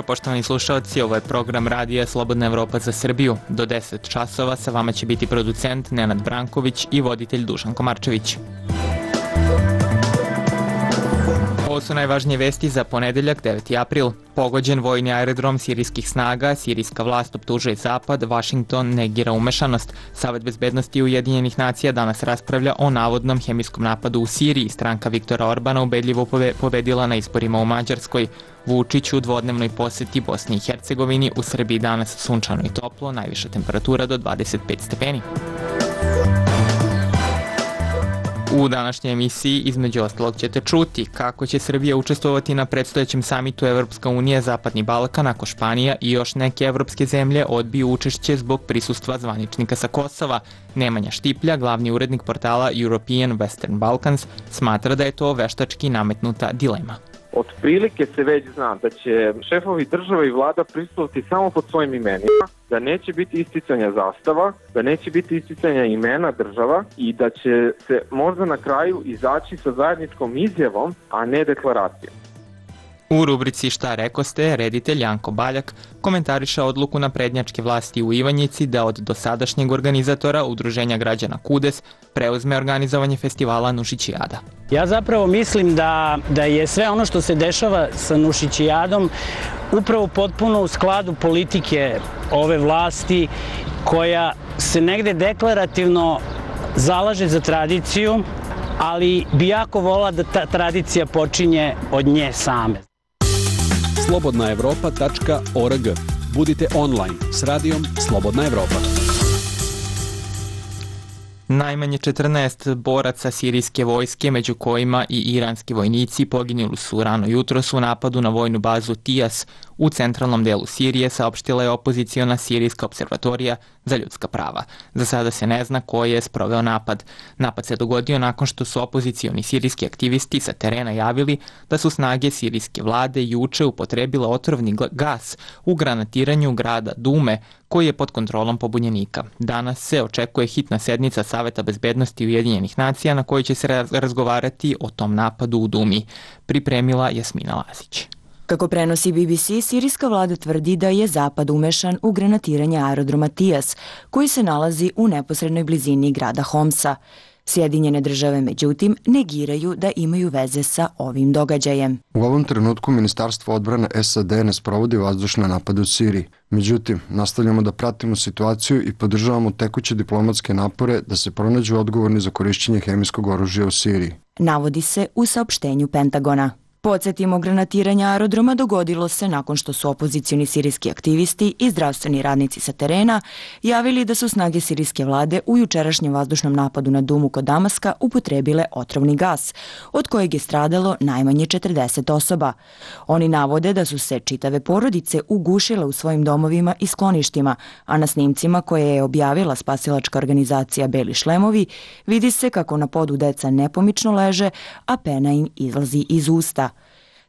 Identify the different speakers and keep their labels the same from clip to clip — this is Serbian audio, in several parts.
Speaker 1: poštovani slušalci, ovo je program Radija Slobodna Evropa za Srbiju. Do 10 časova sa vama će biti producent Nenad Branković i voditelj Dušan Komarčević. Ovo su najvažnije vesti za ponedeljak, 9. april. Pogođen vojni aerodrom sirijskih snaga, sirijska vlast optužuje Zapad, Vašington negira umešanost. Savet bezbednosti Ujedinjenih nacija danas raspravlja o navodnom hemijskom napadu u Siriji. Stranka Viktora Orbana ubedljivo pobedila na izborima u Mađarskoj. Vučić u dvodnevnoj poseti Bosni i Hercegovini, u Srbiji danas sunčano i toplo, najviša temperatura do 25 stepeni. U današnjoj emisiji između ostalog ćete čuti kako će Srbija učestvovati na predstojećem samitu Evropska unija Zapadni Balkan ako Španija i još neke evropske zemlje odbiju učešće zbog prisustva zvaničnika sa Kosova. Nemanja Štiplja, glavni urednik portala European Western Balkans, smatra da je to veštački nametnuta dilema.
Speaker 2: Otprilike se već zna da će šefovi država i vlada prisustvovati samo pod svojim imenima, da neće biti isticanja zastava, da neće biti isticanja imena država i da će se možda na kraju izaći sa zajedničkom izjavom, a ne deklaracijom.
Speaker 1: U rubrici Šta rekoste, reditelj Janko Baljak komentariše odluku naprednjačke vlasti u Ivanjici da od dosadašnjeg organizatora Udruženja građana KUDES preuzme organizovanje festivala Nušićijada.
Speaker 3: Ja zapravo mislim da je sve ono što se dešava sa Nušićijadom upravo potpuno u skladu politike ove vlasti koja se negde deklarativno zalaže za tradiciju, ali bi jako volila da ta tradicija počinje od nje same.
Speaker 4: slobodnaevropa.org. Budite online s radijom Slobodna Evropa.
Speaker 1: Najmanje 14 boraca sirijske vojske, među kojima i iranski vojnici, poginuli su rano jutros u napadu na vojnu bazu Tijas u centralnom delu Sirije, saopštila je opoziciona Sirijska observatorija za ljudska prava. Za sada se ne zna ko je sproveo napad. Napad se dogodio nakon što su opozicioni sirijski aktivisti sa terena javili da su snage sirijske vlade juče upotrebile otrovni gas u granatiranju grada Dume, koji je pod kontrolom pobunjenika. Danas se očekuje hitna sednica Saveta bezbednosti Ujedinjenih nacija na kojoj će se razgovarati o tom napadu u Dumi, pripremila Jasmina Lazić.
Speaker 5: Kako prenosi BBC, sirijska vlada tvrdi da je Zapad umešan u granatiranje aerodroma Tijas, koji se nalazi u neposrednoj blizini grada Homsa. Sjedinjene države, međutim, negiraju da imaju veze sa ovim događajem.
Speaker 6: U ovom trenutku Ministarstvo odbrane SAD ne sprovodi vazdušne napade u Siriji. Međutim, nastavljamo da pratimo situaciju i podržavamo tekuće diplomatske napore da se pronađu odgovorni za korišćenje hemijskog oružja u Siriji.
Speaker 5: Navodi se u saopštenju Pentagona. Podsjetimo, granatiranje aerodroma dogodilo se nakon što su opozicioni sirijski aktivisti i zdravstveni radnici sa terena javili da su snage sirijske vlade u jučerašnjem vazdušnom napadu na Dumu kod Damaska upotrebile otrovni gas, od kojeg je stradalo najmanje 40 osoba. Oni navode da su se čitave porodice ugušile u svojim domovima i skloništima, a na snimcima koje je objavila spasilačka organizacija Beli šlemovi vidi se kako na podu deca nepomično leže, a pena im izlazi iz usta.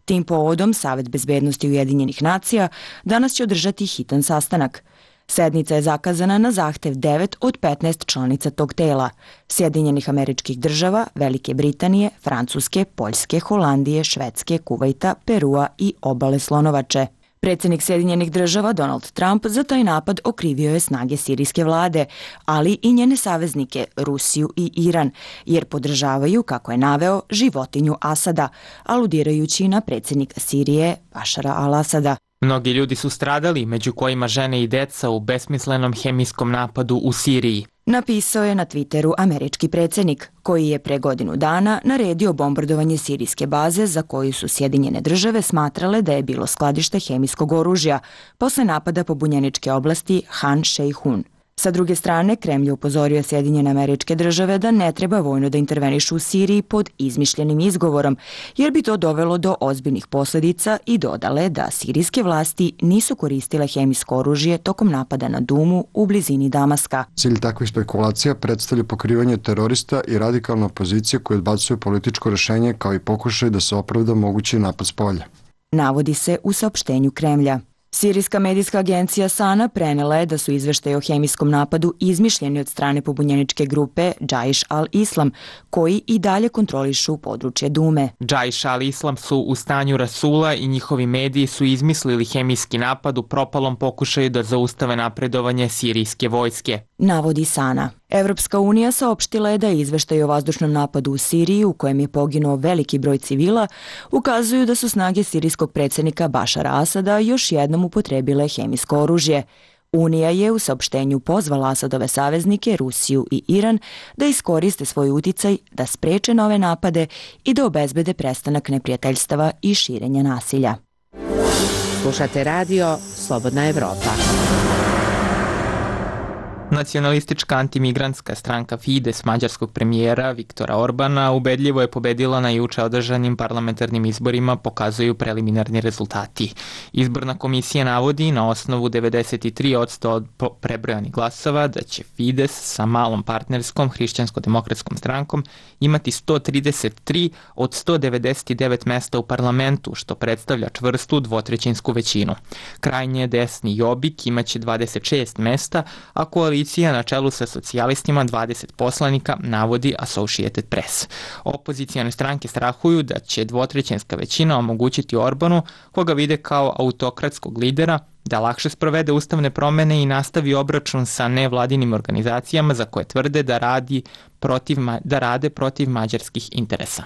Speaker 5: Tim povodom Savet bezbednosti Ujedinjenih nacija danas će održati hitan sastanak. Sednica je zakazana na zahtev 9 od 15 članica tog tela: Sjedinjenih Američkih Država, Velike Britanije, Francuske, Poljske, Holandije, Švedske, Kuvajta, Perua i Obale Slonovače. Predsjednik Sjedinjenih Država Donald Trump za taj napad okrivio je snage sirijske vlade, ali i njene saveznike Rusiju i Iran, jer podržavaju, kako je naveo, životinju Asada, aludirajući na predsjednika Sirije Bašara al-Asada.
Speaker 1: Mnogi ljudi su stradali, među kojima žene i deca, u besmislenom hemijskom napadu u Siriji.
Speaker 5: Napisao je na Twitteru američki predsjednik, koji je pre godinu dana naredio bombardovanje sirijske baze za koju su Sjedinjene države smatrale da je bilo skladište hemijskog oružja posle napada pobunjeničke oblasti Han Šejhun. Sa druge strane, Kremlj je upozorio Sjedinjene Američke Države da ne treba vojno da intervenišu u Siriji pod izmišljenim izgovorom, jer bi to dovelo do ozbiljnih posljedica, i dodale da sirijske vlasti nisu koristile hemijsko oružje tokom napada na Dumu u blizini Damaska.
Speaker 6: Cilj takvih spekulacija predstavlja pokrivanje terorista i radikalna opozicija koja odbacuje političko rešenje kao i pokušaj da se opravda mogući napad s polja.
Speaker 5: Navodi se u saopštenju Kremlja. Sirijska medijska agencija Sana prenela je da su izveštaje o hemijskom napadu izmišljeni od strane pobunjeničke grupe Džaiš al-Islam, koji i dalje kontrolišu područje Dume.
Speaker 1: Džaiš al-Islam su u stanju rasula i njihovi mediji su izmislili hemijski napad u propalom pokušaju da zaustave napredovanje sirijske vojske,
Speaker 5: navodi Sana. Evropska unija saopštila je da izveštaj o vazdušnom napadu u Siriji, u kojem je poginuo veliki broj civila, ukazuju da su snage sirijskog predsjednika Bašara Asada još jednom upotrebile hemijsko oružje. Unija je u saopštenju pozvala Asadove saveznike, Rusiju i Iran, da iskoriste svoj uticaj, da spreče nove napade i da obezbede prestanak neprijateljstava i širenja nasilja.
Speaker 7: Slušate radio Slobodna Evropa.
Speaker 1: Nacionalistička antimigrantska stranka Fides mađarskog premijera Viktora Orbana ubedljivo je pobedila na juče održanim parlamentarnim izborima, pokazuju preliminarni rezultati. Izborna komisija navodi na osnovu 93% od prebrojanih glasova da će Fides sa malom partnerskom hrišćansko-demokratskom strankom imati 133 od 199 mesta u parlamentu, što predstavlja čvrstu dvotrećinsku većinu. Krajnje desni Jobbik imaće 26 mesta, a koalicija na čelu sa socijalistima 20 poslanika, navodi Associated Press. Opozicijone stranke strahuju da će dvotrećinska većina omogućiti Orbanu, koga vide kao autokratskog lidera, da lakše sprovede ustavne promene i nastavi obračun sa nevladinim organizacijama za koje tvrde da rade protiv mađarskih interesa.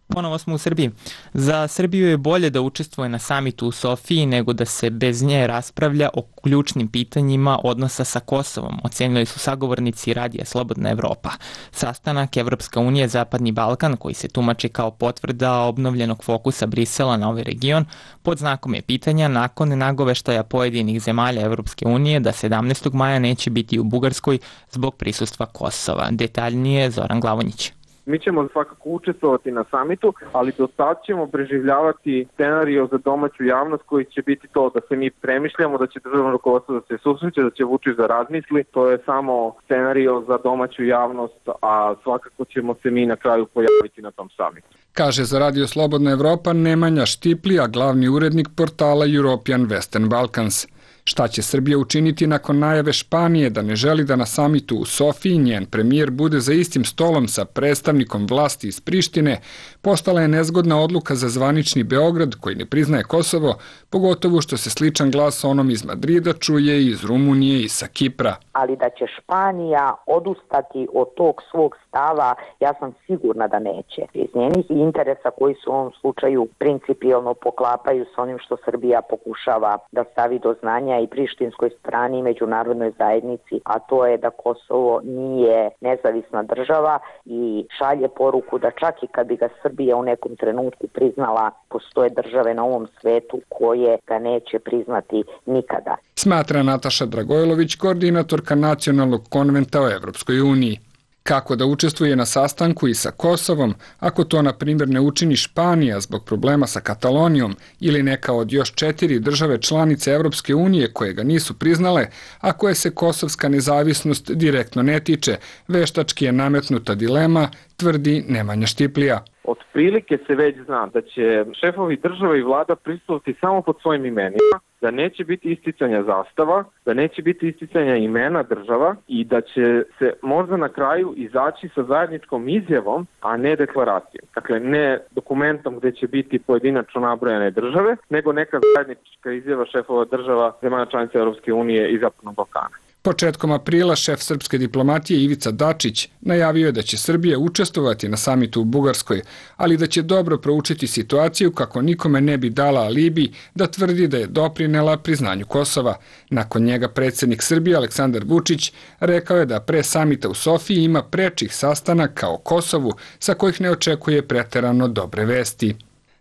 Speaker 1: Ponovo smo u Srbiji. Za Srbiju je bolje da učestvuje na samitu u Sofiji nego da se bez nje raspravlja o ključnim pitanjima odnosa sa Kosovom, ocenili su sagovornici radija Slobodna Evropa. Sastanak Evropska unija Zapadni Balkan, koji se tumači kao potvrda obnovljenog fokusa Brisela na ovaj region, pod znakom je pitanja nakon nagoveštaja pojedinih zemalja Evropske unije da 17. maja neće biti u Bugarskoj zbog prisustva Kosova. Detaljnije Zoran Glavonjić.
Speaker 2: Mi ćemo svakako učestvovati na samitu, ali do sad ćemo preživljavati scenario za domaću javnost koji će biti to da se mi premišljamo, da će državno rukovodstvo da se susreće, da će Vučić da razmisli. To je samo scenario za domaću javnost, a svakako ćemo se mi na kraju pojaviti na tom samitu.
Speaker 8: Kaže za Radio Slobodna Evropa Nemanja Štiplija, glavni urednik portala European Western Balkans. Šta će Srbija učiniti nakon najave Španije da ne želi da na samitu u Sofiji njen premijer bude za istim stolom sa predstavnikom vlasti iz Prištine, postala je nezgodna odluka za zvanični Beograd koji ne priznaje Kosovo, pogotovo što se sličan glas onom iz Madrida čuje i iz Rumunije i sa Kipra.
Speaker 9: Ali da će Španija odustati od tog svog stava, ja sam sigurna da neće. Iz njenih interesa koji su u ovom slučaju principijelno poklapaju s onim što Srbija pokušava da stavi do znanja i prištinskoj strani i međunarodnoj zajednici, a to je da Kosovo nije nezavisna država i šalje poruku da čak i kad bi ga Srbija u nekom trenutku priznala, postoje države na ovom svetu koje ga neće priznati nikada.
Speaker 8: Smatra Nataša Dragojlović, koordinatorka Nacionalnog konventa o Evropskoj uniji. Kako da učestvuje na sastanku i sa Kosovom, ako to, na primjer, ne učini Španija zbog problema sa Katalonijom ili neka od još 4 države članice Evropske unije koje ga nisu priznale, a koje se kosovska nezavisnost direktno ne tiče, veštački je nametnuta dilema, tvrdi Nemanja Štiplija.
Speaker 2: Otprilike se već zna da će šefovi države i vlada prisustvovati samo pod svojim imenima, da neće biti isticanja zastava, da neće biti isticanja imena država i da će se možda na kraju izaći sa zajedničkom izjavom, a ne deklaracijom. Dakle, ne dokumentom gde će biti pojedinačno nabrojane države, nego neka zajednička izjava šefova država zemalja članica Europske unije i Zapadnog Balkana.
Speaker 8: Početkom aprila šef srpske diplomatije Ivica Dačić najavio je da će Srbija učestvovati na samitu u Bugarskoj, ali da će dobro proučiti situaciju kako nikome ne bi dala alibi da tvrdi da je doprinela priznanju Kosova. Nakon njega predsjednik Srbije Aleksandar Vučić rekao je da pre samita u Sofiji ima prečih sastanaka o Kosovu sa kojih ne očekuje preterano dobre vesti.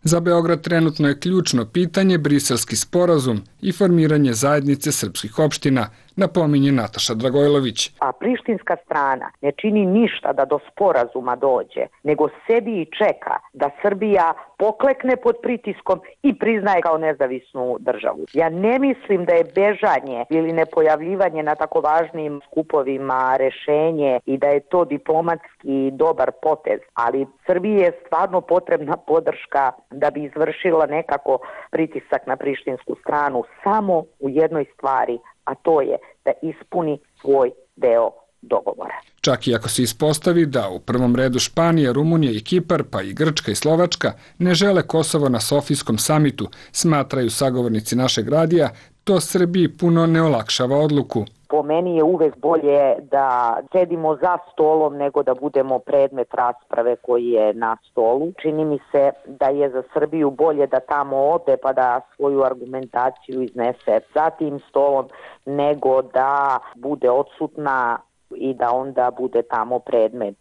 Speaker 8: Za Beograd trenutno je ključno pitanje Briselski sporazum i formiranje zajednice srpskih opština, napominje Nataša Dragojlović.
Speaker 9: A prištinska strana ne čini ništa da do sporazuma dođe, nego sedi i čeka da Srbija poklekne pod pritiskom i priznaje kao nezavisnu državu. Ja ne mislim da je bežanje ili nepojavljivanje na tako važnim skupovima rešenje i da je to diplomatski dobar potez, ali Srbiji je stvarno potrebna podrška da bi izvršila nekako pritisak na prištinsku stranu samo u jednoj stvari, a to je da ispuni svoj deo dogovora.
Speaker 8: Čak i ako se ispostavi da u prvom redu Španija, Rumunija i Kipar, pa i Grčka i Slovačka ne žele Kosovo na Sofijskom samitu, smatraju sagovornici našeg radija, to Srbiji puno ne olakšava odluku.
Speaker 9: Po meni je uvek bolje da sedimo za stolom nego da budemo predmet rasprave koji je na stolu. Čini mi se da je za Srbiju bolje da tamo ode pa da svoju argumentaciju iznese za tim stolom nego da bude odsutna i da onda bude tamo predmet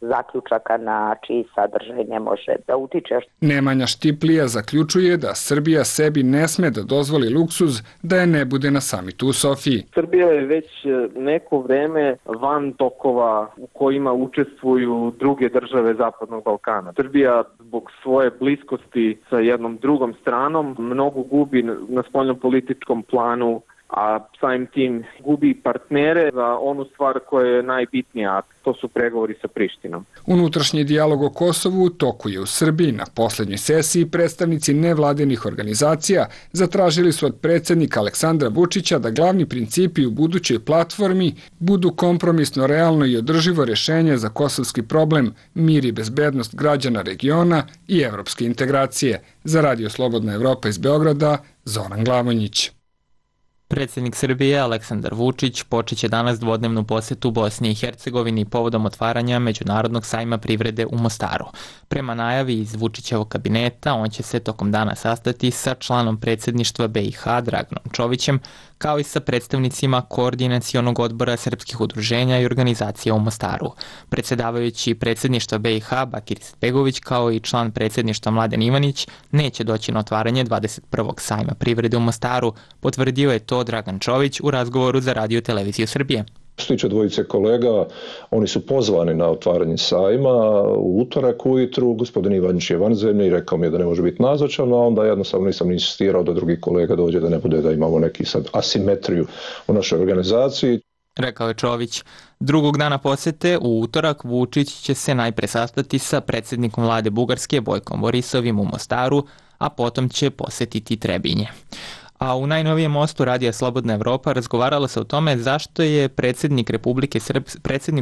Speaker 9: zaključaka na čiji sadržaj ne može da utiče.
Speaker 8: Nemanja Štiplija zaključuje da Srbija sebi ne sme da dozvoli luksuz da je ne bude na samitu u Sofiji.
Speaker 2: Srbija je već neko vreme van tokova u kojima učestvuju druge države Zapadnog Balkana. Srbija zbog svoje bliskosti sa jednom drugom stranom mnogo gubi na spoljnopolitičkom planu, a samim tim gubi partnere za onu stvar koja je najbitnija, a to su pregovori sa Prištinom.
Speaker 8: Unutrašnji dijalog o Kosovu u toku je u Srbiji. Na poslednjoj sesiji predstavnici nevladinih organizacija zatražili su od predsjednika Aleksandra Vučića da glavni principi u budućoj platformi budu kompromisno, realno i održivo rešenje za kosovski problem, mir i bezbednost građana regiona i evropske integracije. Za Radio Slobodna Evropa iz Beograda, Zoran Glavonjić.
Speaker 1: Predsjednik Srbije Aleksandar Vučić počeće danas dvodnevnu posetu Bosni i Hercegovini povodom otvaranja Međunarodnog sajma privrede u Mostaru. Prema najavi iz Vučićevog kabineta, on će se tokom dana sastati sa članom predsjedništva BiH Draganom Čovićem, kao i sa predstavnicima Koordinacionog odbora srpskih udruženja i organizacija u Mostaru. Predsjedavajući predsjedništva BiH Bakir Izetbegović, kao i član predsjedništva Mladen Ivanić, neće doći na otvaranje 21. sajma privrede u Mostaru, potvrdio je to Dragan Čović u razgovoru za Radio Televiziju Srbije.
Speaker 10: Što tiče dvojice kolega, oni su pozvani na otvaranje sajma u utorak ujutru. Gospodin Ivanić je van zemlje i rekao mi je da ne može biti nazočan, a onda jednostavno nisam insistirao da drugi kolega dođe, da ne bude da imamo neki sad asimetriju u našoj organizaciji.
Speaker 1: Rekao je Čović. Drugog dana posete, u utorak, Vučić će se najpre sastati sa predsjednikom vlade Bugarske Bojkom Borisovim u Mostaru, a potom će posetiti Trebinje. A u najnovijem mostu Radija Slobodna Evropa razgovaralo se o tome zašto je predsjedniku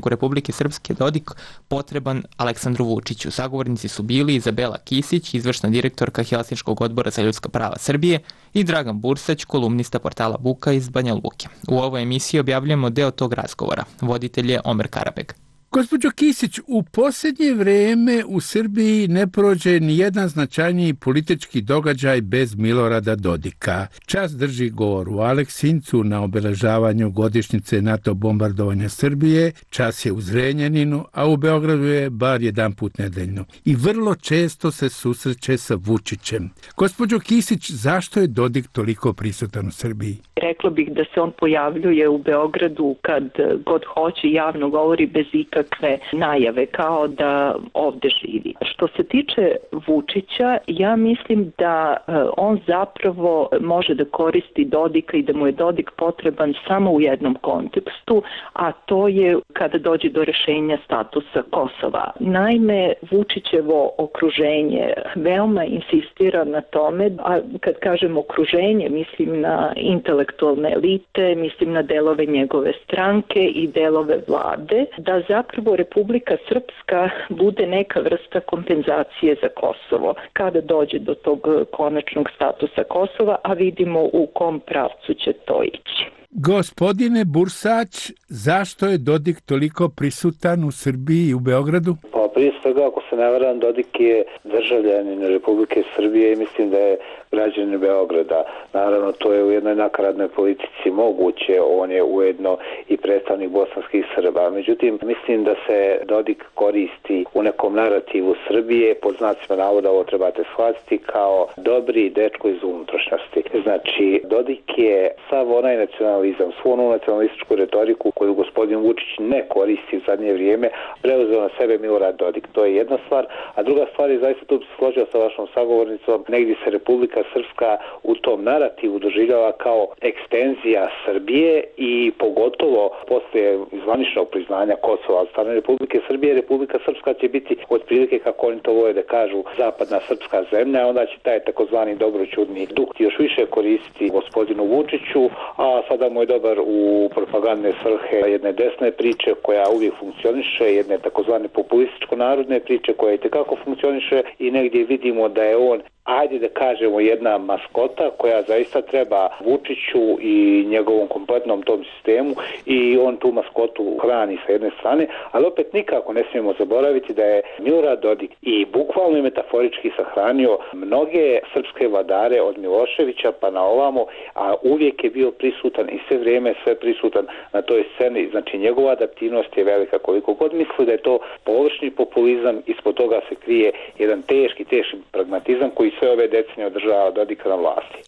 Speaker 1: Republike Srpske Dodik potreban Aleksandru Vučiću. Sagovornici su bili Izabela Kisić, izvršna direktorka Helsinškog odbora za ljudska prava Srbije, i Dragan Bursać, kolumnista portala Buka iz Banja Luke. U ovoj emisiji objavljujemo deo tog razgovora. Voditelj je Omer Karabeg.
Speaker 11: Gospođo Kisić, u posljednje vreme u Srbiji ne prođe ni jedan značajniji politički događaj bez Milorada Dodika. Čas drži govor u Aleksincu na obeležavanju godišnjice NATO bombardovanja Srbije, čas je u Zrenjaninu, a u Beogradu je bar jedan put nedeljno. I vrlo često se susreće sa Vučićem. Gospođo Kisić, zašto je Dodik toliko prisutan u Srbiji?
Speaker 12: Rekla bih da se on pojavljuje u Beogradu kad god hoće, javno govori bez ikakve najave, kao da ovde živi. Što se tiče Vučića, ja mislim da on zapravo može da koristi Dodika i da mu je Dodik potreban samo u jednom kontekstu, a to je kada dođe do rešenja statusa Kosova. Naime, Vučićevo okruženje veoma insistira na tome, a kad kažem okruženje, mislim na intelektualne elite, mislim na delove njegove stranke i delove vlade, da zapravo Republika Srpska bude neka vrsta kompenzacije za Kosovo kada dođe do tog konačnog statusa Kosova, a vidimo u kom pravcu će to ići.
Speaker 11: Gospodine Bursać, zašto je Dodik toliko prisutan u Srbiji i u Beogradu?
Speaker 13: Pa Prije svega, ako se ne varam, Dodik je državljanin Republike Srbije i mislim da je građanin Beograda. Naravno, to je u jednoj nakaradnoj politici moguće, on je ujedno i predstavnik bosanskih Srba. Međutim, mislim da se Dodik koristi u nekom narativu Srbije, pod znacima navoda ovo trebate shvatiti, kao dobri dečko iz unutrašnjosti. Znači, Dodik je sav onaj nacionalizam, svu onu nacionalističku retoriku koju gospodin Vučić ne koristi u zadnje vrijeme, preuzeo na sebe Milorad Dodik. To je jedna stvar, a druga stvar je, zaista tu bi se složio sa vašom sagovornicom, negdje se Republika Srpska u tom narativu doživljava kao ekstenzija Srbije i pogotovo poslije zvaničnog priznanja Kosova od strane Republike Srbije, Republika Srpska će biti otprilike, kako oni to vole da kažu, zapadna srpska zemlja, onda će taj takozvani dobroćudni duh još više koristiti gospodinu Vučiću, a sada mu je dobar u propagandne svrhe jedne desne priče koja uvijek funkcioniše, jedne takozvane populističko-narodne priče koja i tekako funkcioniše i negdje vidimo da je on, ajde da kažemo, jedna maskota koja zaista treba Vučiću i njegovom kompletnom tom sistemu i on tu maskotu hrani sa jedne strane, ali opet nikako ne smijemo zaboraviti da je Milorad Dodik i bukvalno i metaforički sahranio mnoge srpske vladare od Miloševića pa na ovamo, a uvijek je bio prisutan i sve vrijeme sve prisutan na toj sceni. Znači, njegova adaptivnost je velika. Koliko god misli da je to površni populizam, ispod toga se krije jedan teški pragmatizam koji sve ove decenije održava Dodika na vlasti.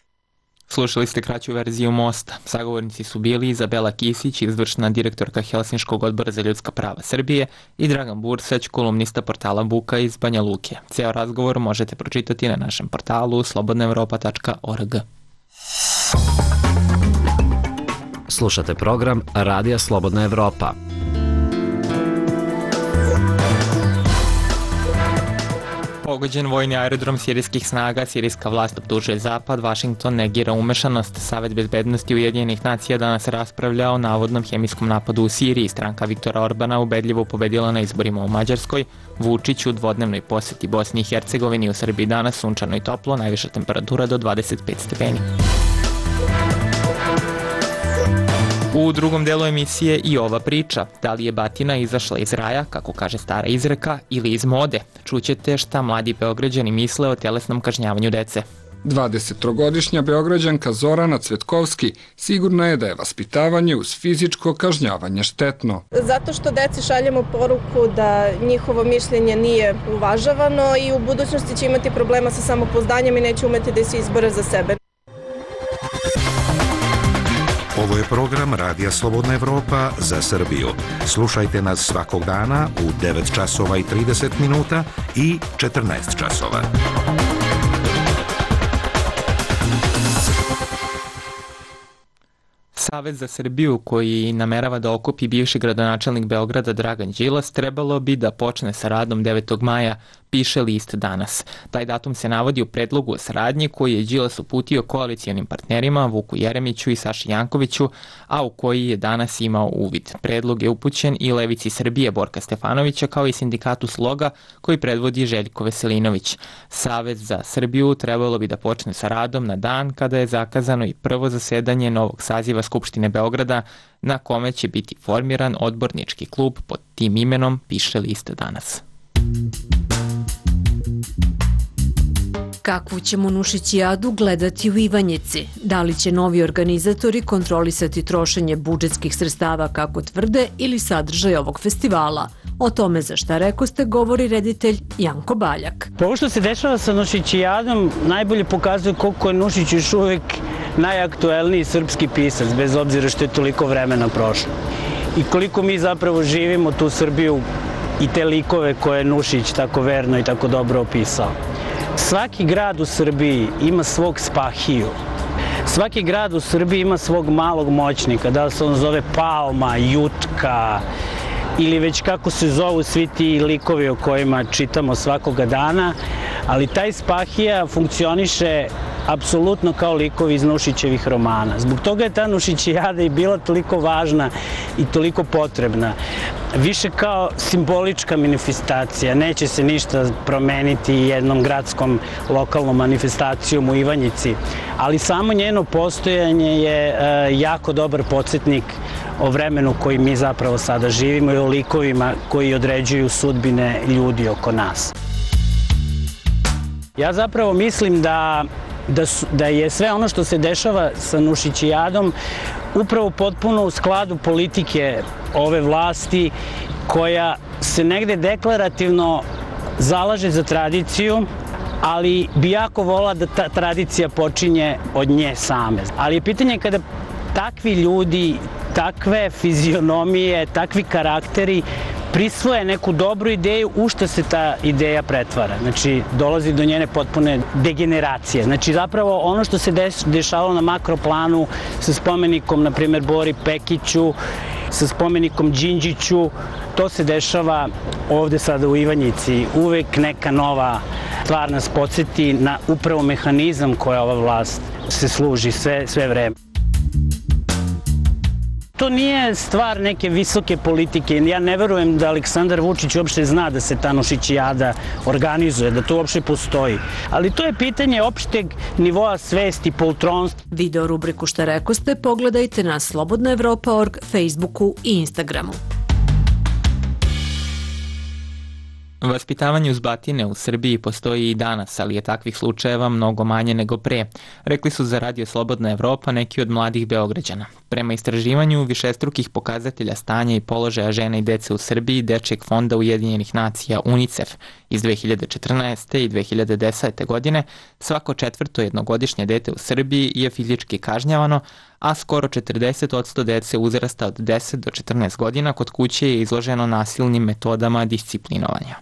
Speaker 1: Slušali ste kraću verziju Mosta. Sagovornici su bili Izabela Kisić, izvršna direktorka Helsinškog odbora za ljudska prava Srbije, i Dragan Bursać, kolumnista portala Buka iz Banja Luke. Ceo razgovor možete pročitati na našem portalu slobodnaevropa.org.
Speaker 14: Slušate program Radija Slobodna Evropa.
Speaker 1: Pogođen vojni aerodrom sirijskih snaga, sirijska vlast optužuje Zapad, Vašington negira umešanost. Savet bezbednosti Ujedinjenih nacija danas raspravlja o navodnom hemijskom napadu u Siriji. Stranka Viktora Orbana ubedljivo pobedila na izborima u Mađarskoj. Vučić u dvodnevnoj poseti Bosni i Hercegovini, u Srbiji danas sunčano i toplo, najviša temperatura do 25 stepeni. U drugom delu emisije i ova priča. Da li je batina izašla iz raja, kako kaže stara izreka, ili iz mode? Čućete šta mladi Beograđani misle o telesnom kažnjavanju dece.
Speaker 8: 23-godišnja Beograđanka Zorana Cvetkovski sigurna je da je vaspitavanje uz fizičko kažnjavanje štetno.
Speaker 15: Zato što deci šaljemo poruku da njihovo mišljenje nije uvažavano i u budućnosti će imati problema sa samopouzdanjem i neće umeti da se izbore za sebe.
Speaker 16: Ovo je program Radija Slobodna Evropa za Srbiju. Slušajte nas svakog dana u 9 časova i 30 minuta i 14 časova.
Speaker 1: Savez za Srbiju, koji namerava da okupi bivši gradonačelnik Beograda Dragan Đilas, trebalo bi da počne sa radom 9. maja, piše list Danas. Taj datum se navodi u predlogu o saradnji koji je Đilas uputio koalicijonim partnerima Vuku Jeremiću i Saši Jankoviću, a u koji je danas imao uvid. Predlog je upućen i Levici Srbije Borka Stefanovića, kao i sindikatu Sloga koji predvodi Željko Veselinović. Savez za Srbiju trebalo bi da počne sa radom na dan kada je zakazano i prvo zasedanje novog saziva Skupštine Beograda, na kome će biti formiran odbornički klub pod tim imenom, piše list Danas.
Speaker 17: Kakvu ćemo Nušićijadu gledati u Ivanjici? Da li će novi organizatori kontrolisati trošenje budžetskih sredstava kako tvrde ili sadržaj ovog festivala? O tome za šta rekoste govori reditelj Janko Baljak.
Speaker 3: Ovo što se dešava sa Nušićijadom najbolje pokazuje koliko je Nušić još uvek najaktuelniji srpski pisac, bez obzira što je toliko vremena prošlo. I koliko mi zapravo živimo tu Srbiju i te likove koje je Nušić tako verno i tako dobro opisao. Svaki grad u Srbiji ima svog Spahiju. Svaki grad u Srbiji ima svog malog moćnika, da li se on zove Palma, Jutka ili već kako se zovu svi ti likovi o kojima čitamo svakoga dana, ali taj Spahija funkcioniše apsolutno kao likovi iz Nušićevih romana. Zbog toga je ta Nušićijada i bila toliko važna i toliko potrebna. Više kao simbolička manifestacija, neće se ništa promeniti jednom gradskom lokalnom manifestacijom u Ivanjici, ali samo njeno postojanje je jako dobar podsjetnik o vremenu koji mi zapravo sada živimo i o likovima koji određuju sudbine ljudi oko nas. Ja zapravo mislim da je sve ono što se dešava sa Nušićijadom upravo potpuno u skladu politike ove vlasti koja se negde deklarativno zalaže za tradiciju, ali bi jako volila da ta tradicija počinje od nje same. Ali je pitanje kada takvi ljudi, takve fizionomije, takvi karakteri prisvoje neku dobru ideju, u što se ta ideja pretvara. Znači, dolazi do njene potpune degeneracije. Znači, zapravo ono što se dešavalo na makroplanu sa spomenikom, na primjer, Bori Pekiću, sa spomenikom Đinđiću, to se dešava ovde sada u Ivanjici. Uvek neka nova stvar nas podsjeti na upravo mehanizam koja ova vlast se služi sve vreme. To nije stvar neke visoke politike. Ja ne verujem da Aleksandar Vučić uopšte zna da se ta Nušićijada organizuje, da to uopšte postoji. Ali to je pitanje opšteg nivoa svesti, poltronstva.
Speaker 17: Video rubriku Šta rekoste pogledajte na slobodnaevropa.org, Facebooku i Instagramu.
Speaker 1: Vaspitavanje uz batine u Srbiji postoji i danas, ali je takvih slučajeva mnogo manje nego pre, rekli su za Radio Slobodna Evropa neki od mladih Beograđana. Prema istraživanju višestrukih pokazatelja stanja i položaja žena i dece u Srbiji Dečijeg fonda Ujedinjenih nacija UNICEF iz 2014. i 2010. godine, svako četvrto jednogodišnje dete u Srbiji je fizički kažnjavano, a skoro 40% dece uzrasta od 10 do 14 godina kod kuće je izloženo nasilnim metodama disciplinovanja.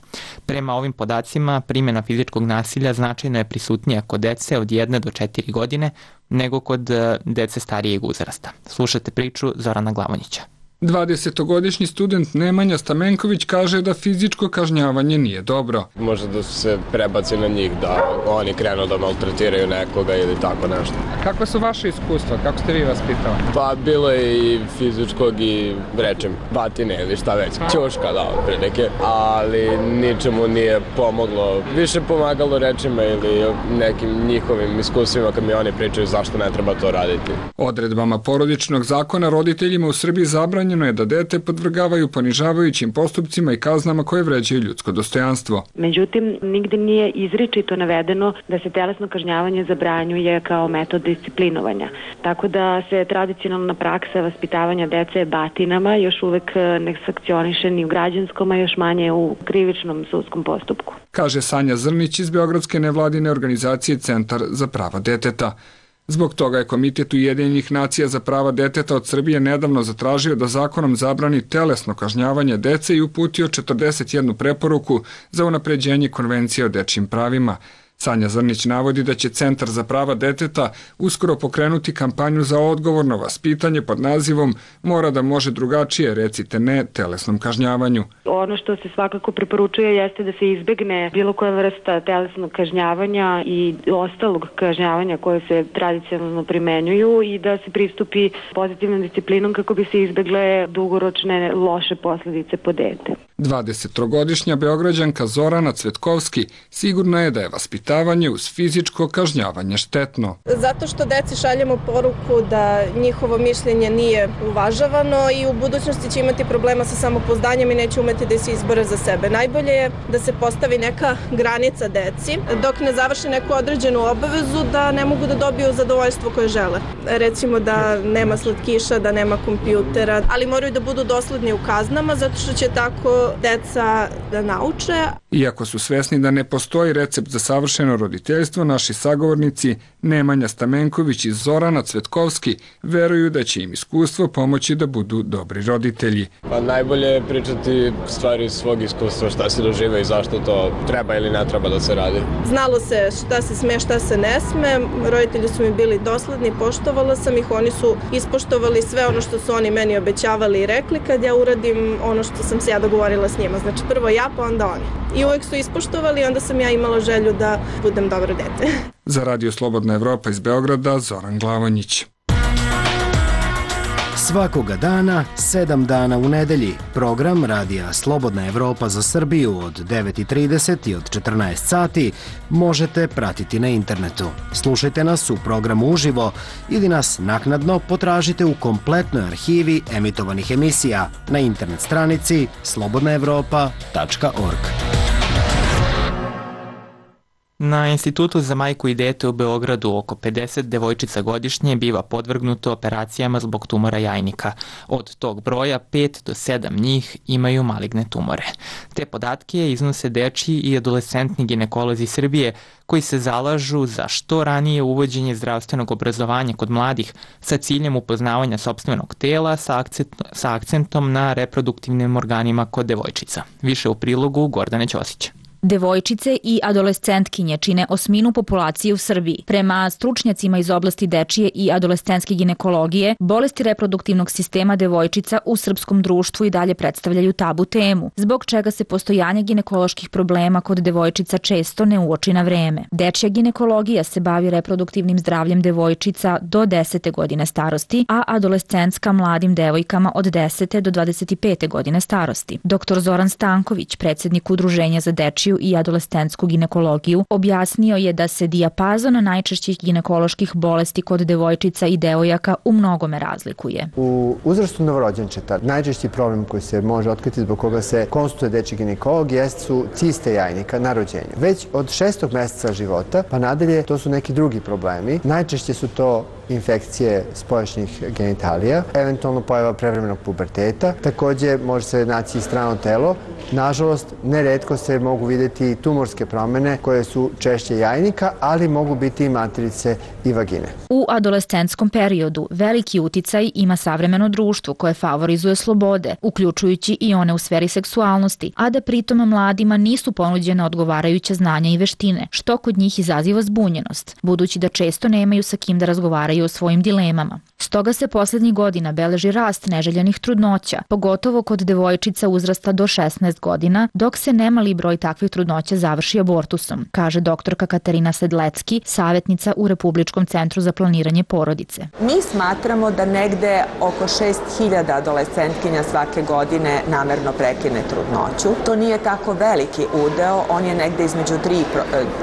Speaker 1: Prema ovim podacima, primjena fizičkog nasilja značajno je prisutnija kod dece od 1 do 4 godine nego kod dece starijeg uzrasta. Slušajte priču Zorana Glavonjića.
Speaker 8: 20-godišnji student Nemanja Stamenković kaže da fizičko kažnjavanje nije dobro.
Speaker 18: Može da se prebaci na njih, da oni krenu da maltretiraju nekoga ili tako nešto.
Speaker 8: Kako su vaše iskustva? Kako ste vi vaspitavani?
Speaker 18: Pa bilo je i fizičkog i rečem batine ili šta već. Ćuška, da, otprilike. Ali ničemu nije pomoglo. Više pomagalo rečima ili nekim njihovim iskustvima kad mi oni pričaju zašto ne treba to raditi.
Speaker 8: Odredbama porodičnog zakona roditeljima u Srbiji zabranjeno je da dete podvrgavaju ponižavajućim postupcima i kaznama koje vređaju ljudsko dostojanstvo.
Speaker 19: Međutim, nigde nije izričito navedeno da se telesno kažnjavanje zabranjuje kao metod disciplinovanja. Tako da se tradicionalna praksa vaspitavanja dece batinama još uvek ne sankcioniše ni u građanskom, a još manje u krivičnom sudskom postupku.
Speaker 8: Kaže Sanja Zrnić iz beogradske nevladine organizacije Centar za prava deteta. Zbog toga je Komitet Ujedinjenih nacija za prava deteta od Srbije nedavno zatražio da zakonom zabrani telesno kažnjavanje dece i uputio 41 preporuku za unapređenje Konvencije o dečjim pravima. Sanja Zrnić navodi da će Centar za prava deteta uskoro pokrenuti kampanju za odgovorno vaspitanje pod nazivom Mora da može drugačije, recite ne telesnom kažnjavanju.
Speaker 19: Ono što se svakako preporučuje jeste da se izbegne bilo koja vrsta telesnog kažnjavanja i ostalog kažnjavanja koje se tradicionalno primenjuju i da se pristupi pozitivnom disciplinom kako bi se izbegle dugoročne loše posledice po dete.
Speaker 8: 23-godišnja Beograđanka Zorana Cvetkovski sigurna je da je vaspitavanje uz fizičko kažnjavanje štetno.
Speaker 15: Zato što deci šaljemo poruku da njihovo mišljenje nije uvažavano i u budućnosti će imati problema sa samopouzdanjem i neće umeti da se izbore za sebe. Najbolje je da se postavi neka granica deci dok ne završi neku određenu obavezu da ne mogu da dobiju zadovoljstvo koje žele. Recimo da nema slatkiša, da nema kompjutera, ali moraju da budu dosledni u kaznama zato što će tako deca da nauče.
Speaker 8: Iako su svesni da ne postoji recept za savršeno roditeljstvo, naši sagovornici Nemanja Stamenković i Zorana Cvetkovski veruju da će im iskustvo pomoći da budu dobri roditelji.
Speaker 18: Pa najbolje je pričati stvari iz svog iskustva, šta se doživa i zašto to treba ili ne treba da se radi.
Speaker 15: Znalo se šta se sme, šta se ne sme. Roditelji su mi bili dosledni, poštovala sam ih, oni su ispoštovali sve ono što su oni meni obećavali i rekli kad ja uradim ono što sam se ja dogovorila s njima. Znači prvo ja, pa onda oni. I uvek su ispoštovali i onda sam ja imala želju da budem dobro dete.
Speaker 8: Za Radio Slobodna Evropa iz Beograda, Zoran Glavonjić.
Speaker 20: Svakoga dana, 7 dana u nedelji, program Radija Slobodna Evropa za Srbiju od 9:30 i od 14 sati možete pratiti na internetu. Slušajte nas u programu uživo ili nas naknadno potražite u kompletnoj arhivi emitovanih emisija na internet stranici slobodnaevropa.org.
Speaker 1: Na Institutu za majku i dete u Beogradu oko 50 devojčica godišnje biva podvrgnuto operacijama zbog tumora jajnika. Od tog broja 5 do 7 njih imaju maligne tumore. Te podatke iznose dečiji i adolescentni ginekolozi Srbije koji se zalažu za što ranije uvođenje zdravstvenog obrazovanja kod mladih sa ciljem upoznavanja sopstvenog tela sa akcentom na reproduktivnim organima kod devojčica. Više u prilogu Gordane Ćosića.
Speaker 21: Devojčice i adolescentkinje čine 1/8 populacije u Srbiji. Prema stručnjacima iz oblasti dečije i adolescentske ginekologije, bolesti reproduktivnog sistema devojčica u srpskom društvu i dalje predstavljaju tabu temu, zbog čega se postojanje ginekoloških problema kod devojčica često ne uoči na vreme. Dečija ginekologija se bavi reproduktivnim zdravljem devojčica do 10. godine starosti, a adolescentska mladim devojkama od 10. do 25. godine starosti. Dr. Zoran Stanković, predsjednik Udruženja za dečiju i adolescentsku ginekologiju, objasnio je da se dijapazon najčešćih ginekoloških bolesti kod devojčica i devojaka u mnogome razlikuje.
Speaker 22: U uzrastu novorođenčeta najčešći problem koji se može otkriti zbog koga se konsultuje dečji ginekolog su ciste jajnika na rođenju. Već od 6. meseca života pa nadalje to su neki drugi problemi. Najčešće su to infekcije spoljašnjih genitalija, eventualno pojava prevremenog puberteta, takođe može se naći i strano telo. Nažalost, neretko se mogu vidjeti tumorske promene koje su češće jajnika, ali mogu biti i materice i vagine.
Speaker 21: U adolescentskom periodu veliki uticaj ima savremeno društvo koje favorizuje slobode, uključujući i one u sferi seksualnosti, a da pritom mladima nisu ponuđene odgovarajuća znanja i veštine, što kod njih izaziva zbunjenost, budući da često nemaju sa kim da razgovaraju o svojim dilemama. Stoga se poslednjih godina beleži rast neželjenih trudnoća, pogotovo kod devojčica uzrasta do 16 godina, dok se nemali broj takvih trudnoća završi abortusom, kaže doktorka Katarina Sedlecki, savjetnica u Republičkom centru za planiranje porodice.
Speaker 23: Mi smatramo da negde oko 6.000 adolescentkinja svake godine namerno prekine trudnoću. To nije tako veliki udeo, on je negde između 3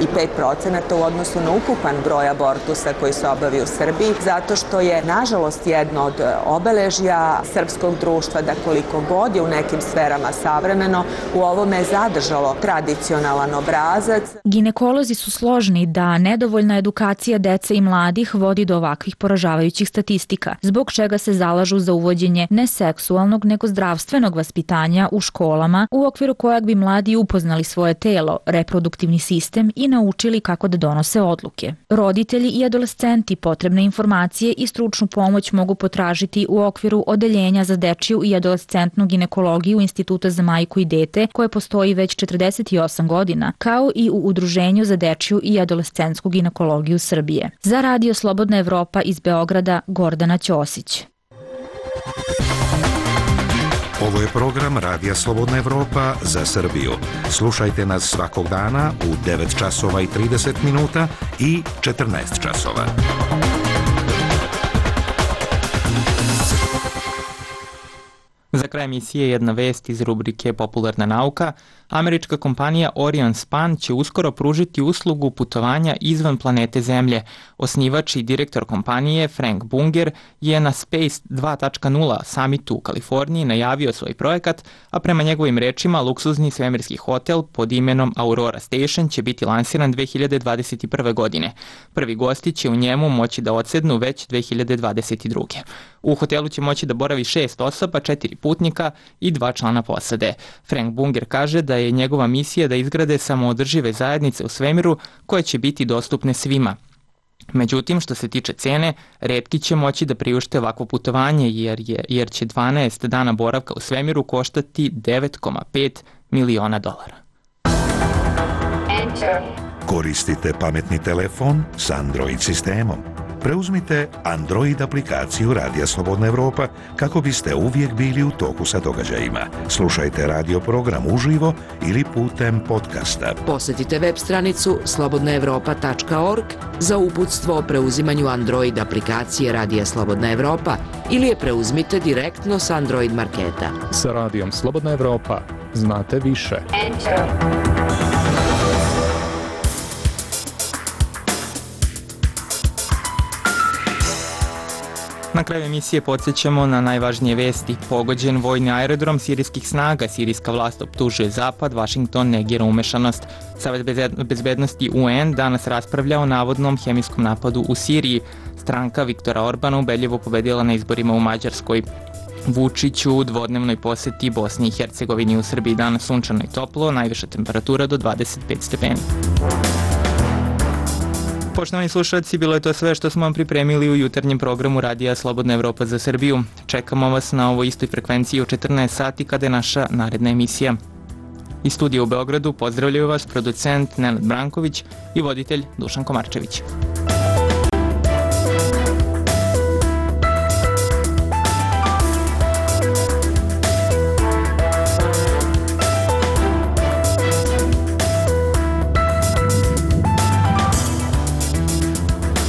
Speaker 23: i 5% u odnosu na ukupan broj abortusa koji se obavi u Srbiji, zato što je nažalost jedno od obeležja srpskog društva da koliko god je u nekim sferama savremeno, u ovome je zadržalo tradicionalan obrazac.
Speaker 21: Ginekolozi su složni da nedovoljna edukacija dece i mladih vodi do ovakvih poražavajućih statistika, zbog čega se zalažu za uvođenje ne seksualnog nego zdravstvenog vaspitanja u školama, u okviru kojeg bi mladi upoznali svoje telo, reproduktivni sistem i naučili kako da donose odluke. Roditelji i adolescenti potrebne informacije i stručnu pomoć mogu potražiti u okviru Odeljenja za dečiju i adolescentnu ginekologiju Instituta za majku i dete, koje postoji već 48 godina, kao i u Udruženju za dečiju i adolescentsku ginekologiju Srbije. Za Radio Slobodna Evropa iz Beograda, Gordana Ćosić.
Speaker 16: Ovo je program Radija Slobodna Evropa za Srbiju. Slušajte nas svakog dana u 9:30 i 14 časova.
Speaker 1: Za kraj emisije jedna vest iz rubrike Popularna nauka. Američka kompanija Orion Span će uskoro pružiti uslugu putovanja izvan planete Zemlje. Osnivač i direktor kompanije Frank Bunger je na Space 2.0 summitu u Kaliforniji najavio svoj projekat, a prema njegovim rečima luksuzni svemirski hotel pod imenom Aurora Station će biti lansiran 2021. godine. Prvi gosti će u njemu moći da odsednu već 2022. U hotelu će moći da boravi 6 osoba, 4 putnika i 2 člana posade. Frank Bunger kaže da je njegova misija da izgrade samoodržive zajednice u svemiru koje će biti dostupne svima. Međutim, što se tiče cene, retki će moći da priušte ovakvo putovanje jer će 12 dana boravka u svemiru koštati $9,5 miliona.
Speaker 16: Koristite pametni telefon s Android sistemom. preuzmite Android aplikaciju Radija Slobodna Evropa kako biste uvijek bili u toku sa događajima. Slušajte radio program uživo ili putem podcasta.
Speaker 7: Posjetite web stranicu slobodnaevropa.org za uputstvo o preuzimanju Android aplikacije Radija Slobodna Evropa ili je preuzmite direktno s Android marketa.
Speaker 4: Sa Radijom Slobodna Evropa znate više.
Speaker 1: Na kraju emisije podsjećamo na najvažnije vesti. Pogođen vojni aerodrom sirijskih snaga, sirijska vlast optužuje Zapad, Vašington negira umešanost. Savet bezbednosti UN danas raspravlja o navodnom hemijskom napadu u Siriji. Stranka Viktora Orbana ubedljivo pobedila na izborima u Mađarskoj. Vučić u dvodnevnoj poseti Bosni i Hercegovini. U Srbiji danas sunčano i toplo, najviša temperatura do 25 stepeni. Poštovani slušalci, bilo je to sve što smo vam pripremili u jutarnjem programu Radija Slobodna Evropa za Srbiju. Čekamo vas na ovoj istoj frekvenciji u 14 sati kada je naša naredna emisija. Iz studija u Beogradu pozdravljaju vas producent Nenad Branković i voditelj Dušan Komarčević.